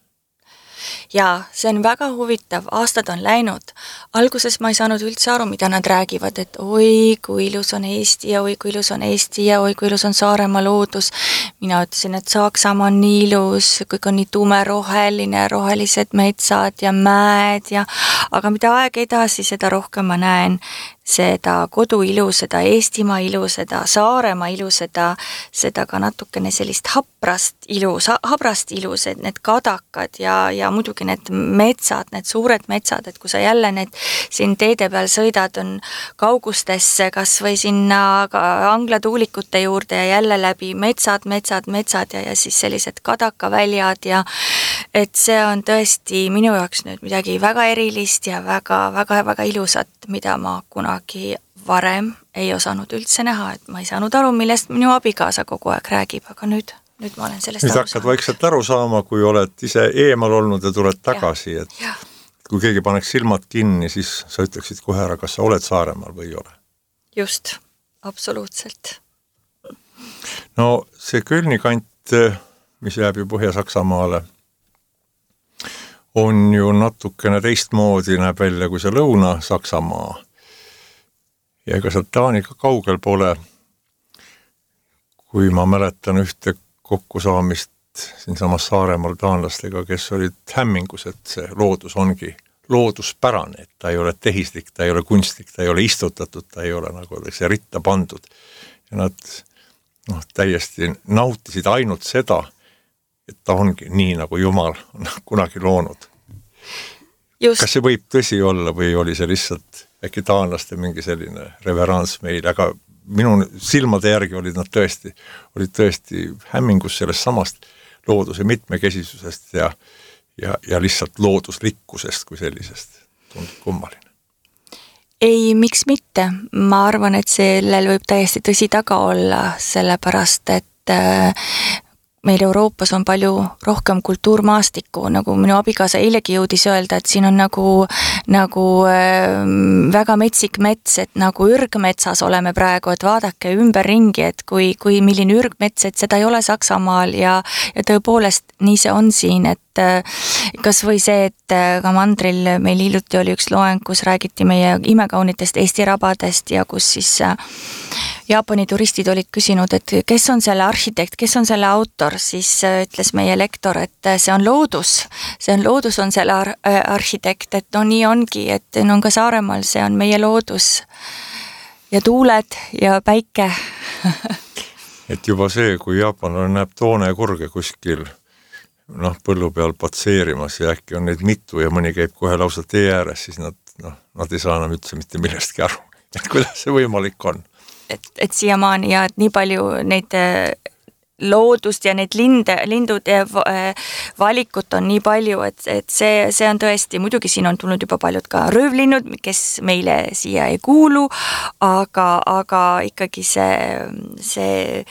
Jaa, see on väga huvitav, aastad on läinud. Alguses ma ei saanud üldse aru, mida nad räägivad, et oi, kui ilus on Eesti ja oi, kui ilus on Eesti ja oi, kui ilus on Saaremaa loodus. Mina ütlesin, et Saksamaa on nii ilus, kõik on nii tumeroheline, rohelised metsad ja mäed aga mida aeg edasi, seda rohkem ma näen seda kodu ilu, seda Eestimaa ilu, seda Saaremaa ilu, seda ka natukene sellist habrast ilu, need kadakad ja muidugi need metsad, need suured metsad, et kui sa jälle need siin teede peal sõidad, on kaugustesse kas või sinna anglatuulikute juurde ja jälle läbi metsad ja siis sellised kadakaväljad ja et see on tõesti minu jaoks nüüd midagi väga erilist ja väga ilusat, mida ma kunagi varem ei osanud üldse näha, et ma ei saanud aru, millest minu abikaasa kogu aeg räägib, aga nüüd ma olen sellest nüüd hakkad vaikselt aru saama, kui oled ise eemal olnud ja tuled tagasi, et kui keegi paneks silmad kinni, siis sa ütleksid kohe ära, kas sa oled Saaremaal või ei ole. Just, absoluutselt. No see Kölni kant, mis jääb ju Põhja-Saksamaale, on ju natukene teistmoodi, näeb välja kui see Lõuna-Saksamaa. Ja ega sealt Taaniga kaugel pole, kui ma mäletan ühte kokkusaamist siinsamas Saaremaal taanlastega, kes olid hämmingus, et see loodus ongi looduspärane, et ta ei ole tehislik, ta ei ole kunstlik, ta ei ole istutatud, ta ei ole nagu see ritta pandud. Ja nad täiesti nautisid ainult seda, et ta ongi nii, nagu Jumal on kunagi loonud. Just. Kas see võib tõsi olla või oli see lihtsalt äkki taanlaste mingi selline reverants meil, aga minu silmade järgi olid nad tõesti hämmingus sellest samast looduse mitmekesisusest ja lihtsalt looduslikkusest kui sellisest. Tundub kummaline. Ei, miks mitte? Ma arvan, et sellel võib täiesti tõsi taga olla, sellepärast, et meil Euroopas on palju rohkem kultuurmaastikku, nagu minu abikaasa eilegi jõudis öelda, et siin on nagu väga metsik mets, et nagu ürgmetsas oleme praegu, et vaadake ümberringi, et kui milline ürgmets, et seda ei ole Saksamaal ja tõepoolest nii see on siin, et kas või see, et ka mandril meil hiljuti oli üks loeng, kus räägiti meie imekaunitest Eesti rabadest ja kus siis Jaapani turistid olid küsinud, et kes on selle arhitekt, kes on selle autor, siis ütles meie lektor, et see on loodus on selle arhitekt, et nii ongi, et on ka Saaremaal, see on meie loodus ja tuuled ja päike. Et juba see, kui Jaapanil näeb toonekurge kuskil põllu peal patseerimas ja äkki on neid mitu ja mõni käib kohe lausa tee ääres, siis nad ei saa enam üldse mitte millestki aru, et kuidas see võimalik on. Et siiamaani ja et nii palju neid loodust ja neid lindude valikut on nii palju, et see on tõesti, muidugi siin on tulnud juba paljud ka röövlinnud, kes meile siia ei kuulu, aga ikkagi see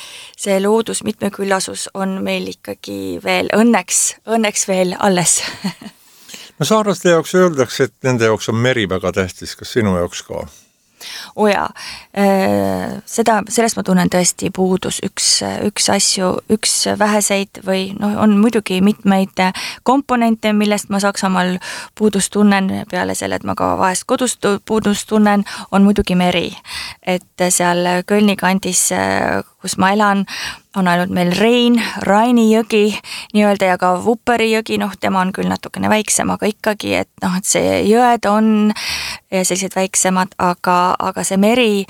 loodus mitmeküllasus on meil ikkagi veel õnneks veel alles. No saarlaste jaoks öeldakse, et nende jaoks on meri väga tähtis, kas sinu jaoks ka? Jaa, sellest ma tunnen tõesti puudus üks väheseid või on muidugi mitmeid komponente, millest ma Saksamaal puudust tunnen, peale selle, et ma ka vahest kodust puudust tunnen, on muidugi meri. Et seal Kölni kandis, kus ma elan, on ainult meil Raini jõgi nii-öelda ja ka Vupperi jõgi, tema on küll natukene väiksem, aga ikkagi, et see jõed on sellised väiksemad, aga see meri,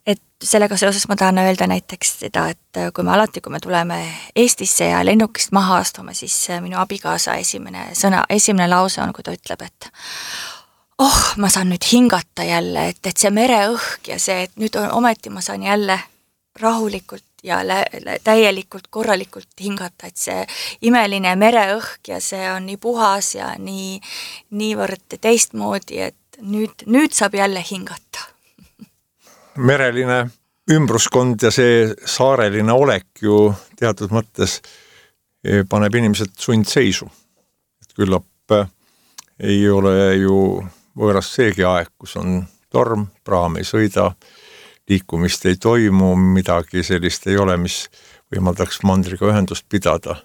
et sellega seoses ma tahan öelda näiteks seda, et kui me tuleme Eestisse ja lennukist maha astume, siis minu abikaasa esimene lause on, kui ta ütleb, et ma saan nüüd hingata jälle, et see mereõhk ja see, et nüüd ometi ma saan jälle rahulikult ja täielikult korralikult hingata, et see imeline mereõhk ja see on nii puhas ja niivõrd teistmoodi, et nüüd saab jälle hingata. Mereline ümbruskond ja see saareline olek ju teatud mõttes paneb inimesed sundseisu. Et küllap ei ole ju võõras seegi aeg, kus on torm, praam ei sõida, liikumist ei toimu, midagi sellist ei ole, mis võimaldaks mandriga ühendust pidada.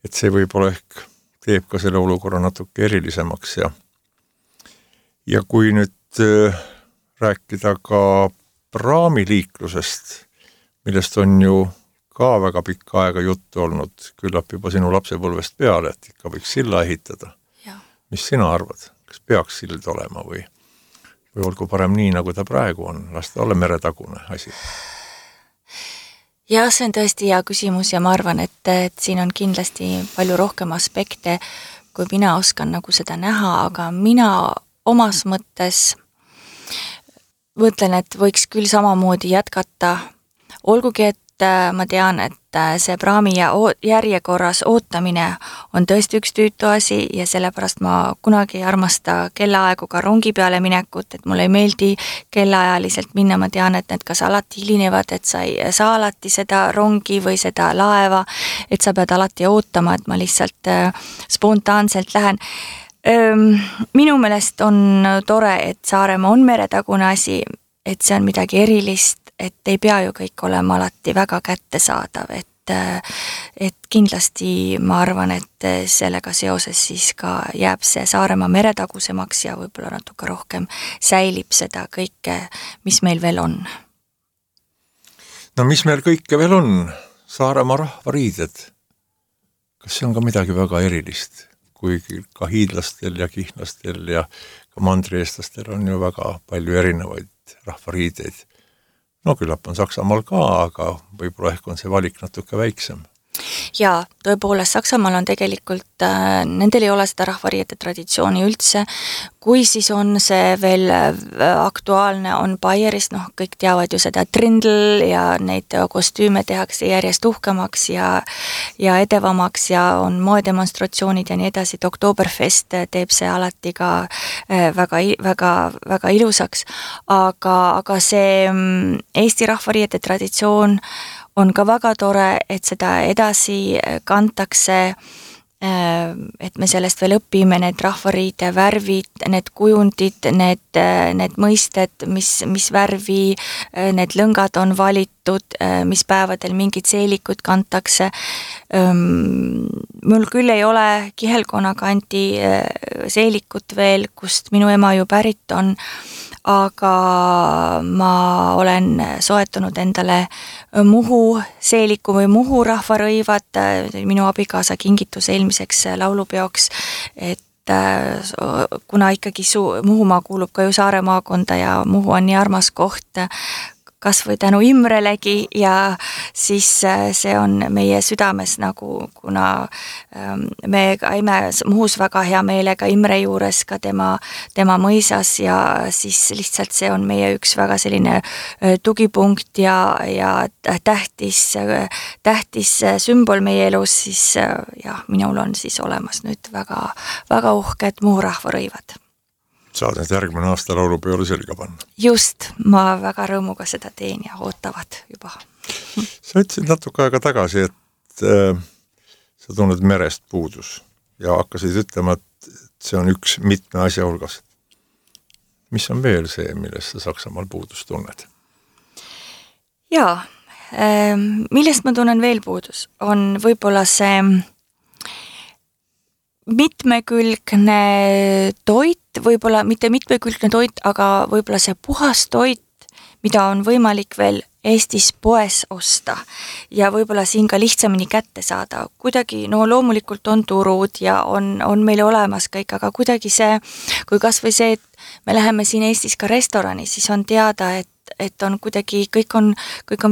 Et see võib-olla ehk teeb ka selle olukorra natuke erilisemaks. Ja kui nüüd rääkida ka praamiliiklusest, millest on ju ka väga pikka aega juttu olnud, küllap juba sinu lapsepõlvest peale, et ikka võiks silla ehitada. Ja. Mis sina arvad? Kas peaks sild olema või olgu parem nii, nagu ta praegu on, lasta olla meretagune asi? Ja see on tõesti hea küsimus ja ma arvan, et siin on kindlasti palju rohkem aspekte, kui mina oskan nagu seda näha, aga mina omas mõttes mõtlen, et võiks küll samamoodi jätkata, olgugi, et ma tean, et see praami järjekorras ootamine on tõesti üks tüütu asi ja sellepärast ma kunagi ei armasta kellaaegu ka rongi peale minekut, et mulle ei meeldi kellaajaliselt minna, ma tean, et need kas alati hilinevad, et sa ei saa alati seda rongi või seda laeva, et sa pead alati ootama, et ma lihtsalt spontaanselt lähen. Minu meelest on tore, et Saaremaa on meretagune asi, et see on midagi erilist, et ei pea ju kõik olema alati väga kättesaadav, et kindlasti ma arvan, et sellega seoses siis ka jääb see Saaremaa meretagusemaks ja võib-olla natuke rohkem säilib seda kõike, mis meil veel on. No mis meil kõike veel on? Saaremaa rahvariided. Kas see on ka midagi väga erilist? Kuigi ka hiidlastel ja kihnlastel ja ka mandrieestlastel on ju väga palju erinevaid rahvariideid. No küllap on Saksamaal ka, aga võib-olla ehk on see valik natuke väiksem. Ja tõepoolest Saksamaal on tegelikult, nendel ei ole seda rahvariiete traditsiooni üldse, kui siis on see veel aktuaalne, on Bayerist, kõik teavad ju seda trindl ja neid kostüüme tehakse järjest uhkemaks ja edevamaks ja on moedemonstratsioonid ja nii edasi, et Oktoberfest teeb see alati ka väga ilusaks, aga see Eesti rahvariiete traditsioon on ka väga tore, et seda edasi kantakse, et me sellest veel õpime, need rahvariide värvid, need kujundid, need mõisted, mis värvi need lõngad on valitud, mis päevadel mingid seelikud kantakse. Mul küll ei ole Kihelkonna kandi seelikut veel, kust minu ema ju pärit on, aga ma olen soetanud endale Muhu seeliku või Muhu rahvarõivad, minu abikaasa kingitus eelmiseks laulupeoks, et kuna ikkagi Muhumaa kuulub ka ju Saare maakonda ja Muhu on nii armas koht, kas või tänu Imrelegi ja siis see on meie südames nagu, kuna me käime Muhus väga hea meelega Imre juures ka tema mõisas ja siis lihtsalt see on meie üks väga selline tugipunkt ja tähtis sümbol meie elus, siis jah, minul on siis olemas nüüd väga, väga uhked Muhu rahvarõivad. Saad nüüd järgmine aasta laulupeole selga panna. Just, ma väga rõõmuga seda teen ja ootavad juba. Sa ütlesid natuke aega tagasi, et sa tunned merest puudus ja hakkasid ütlema, et see on üks mitme asja hulgas. Mis on veel see, millest sa Saksamaal puudus tunned? Jaa, millest ma tunnen veel puudus, on võib-olla see mitmekülgne toit, võib-olla mitte mitmekülgne toit, aga võib-olla see puhas toit, mida on võimalik veel Eestis poes osta ja võib-olla siin ka lihtsamini kätte saada. Kuidagi, no loomulikult on turud ja on meil olemas kõik, aga kuidagi see, kui kas või see, et me läheme siin Eestis ka restorani, siis on teada, et on kuidagi, kõik on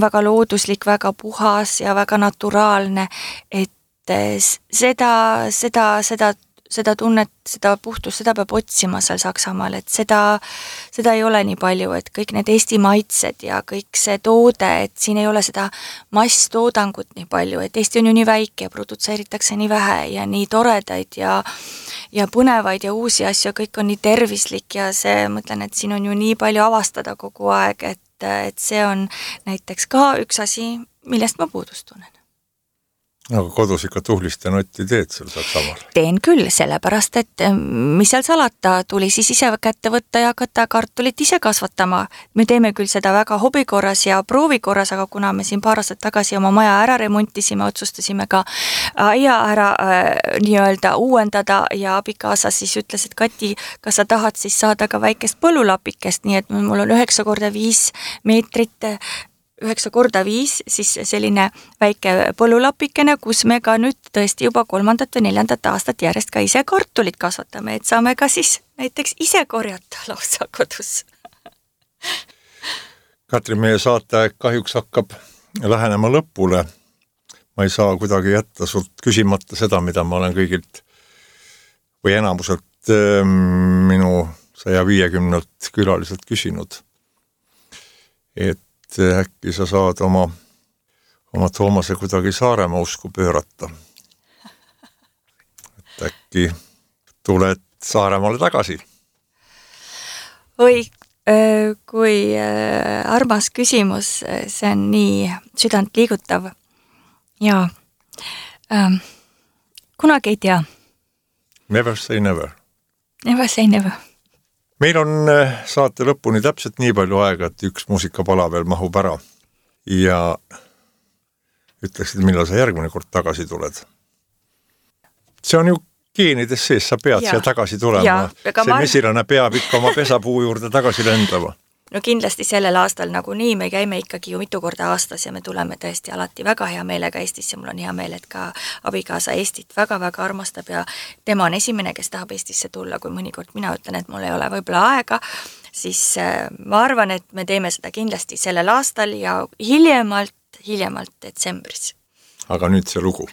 väga looduslik, väga puhas ja väga naturaalne, et seda tunnet, seda puhtust, seda peab otsima seal Saksamaal, et seda ei ole nii palju, et kõik need Eesti maitsed ja kõik see toode, et siin ei ole seda masstoodangut nii palju, et Eesti on ju nii väike, produtseeritakse nii vähe ja nii toredaid ja põnevaid ja uusi asju, kõik on nii tervislik ja see, mõtlen, et siin on ju nii palju avastada kogu aeg, et see on näiteks ka üks asi, millest ma puudust tunnen. Aga kodus ikka tuhlist ja notti teed seal Saksamaal? Teen küll, sellepärast, et mis seal salata, tuli siis ise kätte võtta ja hakata kartulit ise kasvatama. Me teeme küll seda väga hobikorras ja proovikorras, aga kuna me siin paar aastat tagasi oma maja ära remontisime, otsustasime ka aia ära nii-öelda uuendada ja abikaasa siis ütles, et Kati, kas sa tahad siis saada ka väikest põllulapikest, nii et mul on 9x5 meetrit 9x5, siis selline väike põllulapikene, kus me ka nüüd tõesti juba 3. või 4. aastat järjest ka ise kartulit kasvatame, et saame ka siis näiteks ise korjata lausa kodus. Katri, meie saateaeg kahjuks hakkab lähenema lõpule. Ma ei saa kuidagi jätta sult küsimata seda, mida ma olen kõigilt või enamuselt minu 150 külaliselt küsinud. Et äkki sa saad oma Toomase kuidagi Saaremaa usku pöörata. Et äkki tuled Saaremaale tagasi? Oi, kui armas küsimus, see on nii südant liigutav. Ja kunagi ei tea. Never say never. Never say never. Meil on saate lõpuni täpselt nii palju aega, et üks muusikapala veel mahub ära ja ütleksid, millal sa järgmine kord tagasi tuled. See on ju geenides sees, sa pead siia tagasi tulema. See mesilane peab ikka oma pesapuu juurde tagasi lendama. No kindlasti sellel aastal nagu nii, me käime ikkagi ju mitu korda aastas ja me tuleme tõesti alati väga hea meelega Eestisse. Mul on hea meel, et ka abikaasa Eestit väga-väga armastab ja tema on esimene, kes tahab Eestisse tulla, kui mõnikord mina ütlen, et mul ei ole võib-olla aega, siis ma arvan, et me teeme seda kindlasti sellel aastal ja hiljemalt detsembris. Aga nüüd see lugu.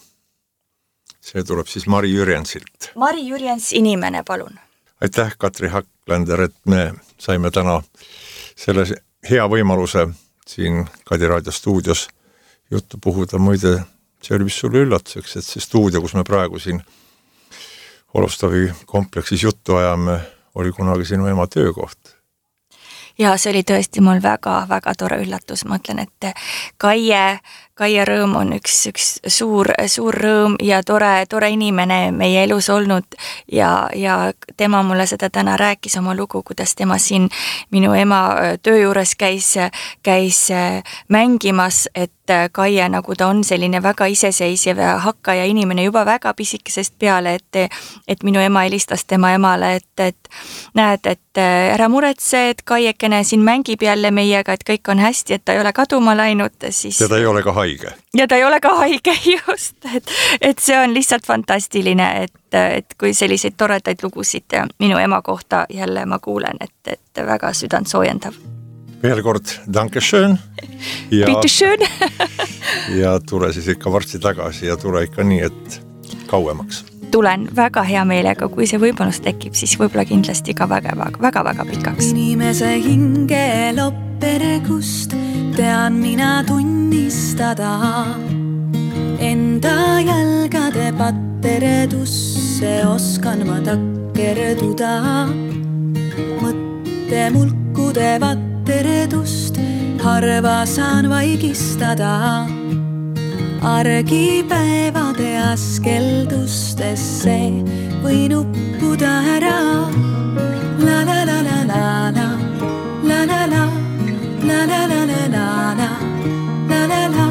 See tuleb siis Mari Jürjensilt. Mari Jürjens, Inimene, palun. Aitäh, Katri Haklander, et me saime täna selle hea võimaluse siin Kadi Raadio stuudios juttu puhuda. Muide, see oli vist sulle üllatuseks, et see stuudio, kus me praegu siin Olustavi kompleksis juttu ajame, oli kunagi sinu ema töökoht. Ja see oli tõesti mul väga-väga tore üllatus. Ma ütlen, et Kaie rõõm on üks suur rõõm ja tore inimene meie elus olnud ja tema mulle seda täna rääkis oma lugu, kuidas tema siin minu ema töö juures käis mängimas, et Kaie, nagu ta on selline väga iseseisev ja hakkaja inimene juba väga pisikesest peale, et minu ema helistas tema emale, et näed, et ära muretse, et Kaiekene siin mängib jälle meiega, et kõik on hästi, et ta ei ole kaduma läinud, siis... Ja ta ei ole ka haige. Ja ta ei ole ka haige, just, et see on lihtsalt fantastiline, et kui selliseid toredaid lugusid minu ema kohta jälle ma kuulen, et väga südant soojendav. veel kord Dankeschön ja, ja tule siis ikka varsti tagasi ja tule ikka nii, et kauemaks. Tulen väga hea meelega, kui see võimalus tekib, siis võib-olla kindlasti ka väga pikaks. Inimese hinge lopperegust tean mina tunnistada, enda jalgade patteredusse oskan ma takkerduda, mõttemulkude vatteredust harva saan vaigistada. Argipäevade askeldustesse võin uppuda ära. La la la la la la, la la la, la la la la la la, la la la,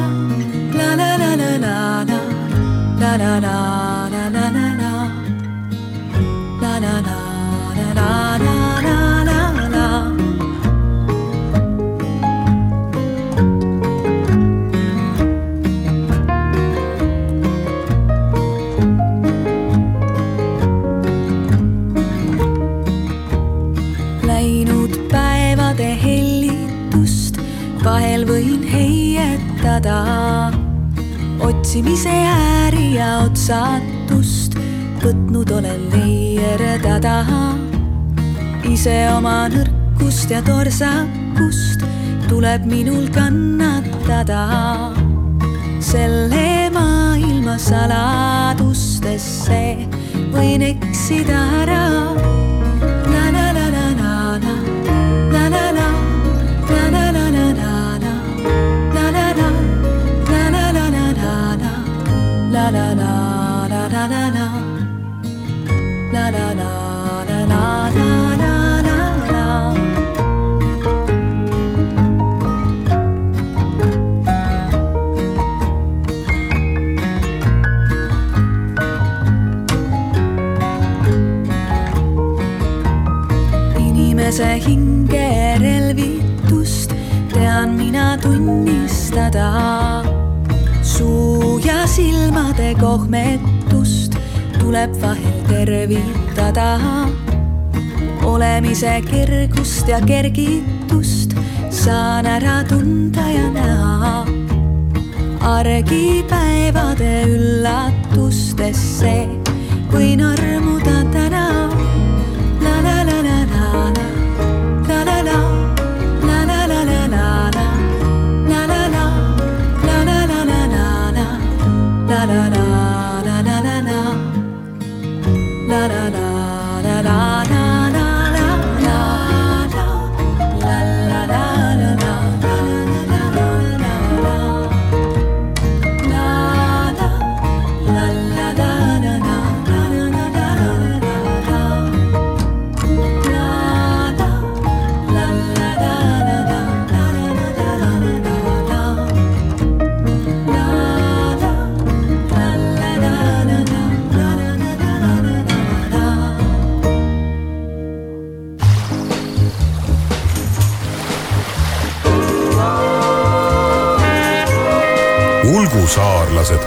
la la la la la la, la la la la la la la, la la la la la la la la. Vahel võin heietada, otsimise ääri ja otsatust võtnud olen leiertada. Ise oma nõrkust ja torsakust tuleb minul kannatada. Selle maailma saladustesse võin eksida ära. La la la la la la, la la la. La la la la la la la, la la la la la la la la. Inimese hinge relvitust tean mina tunnistada. Suu ja silmade kohmetust tuleb vahel tervitada. Olemise kergust ja kergitust saan ära tunda ja näha. Argipäevade üllatustesse võin armuda täna. La la la la la la, la la la, la la la la la la, la la la. La la la la la la la, la la la la la la la la, la la la la la la, Saarlased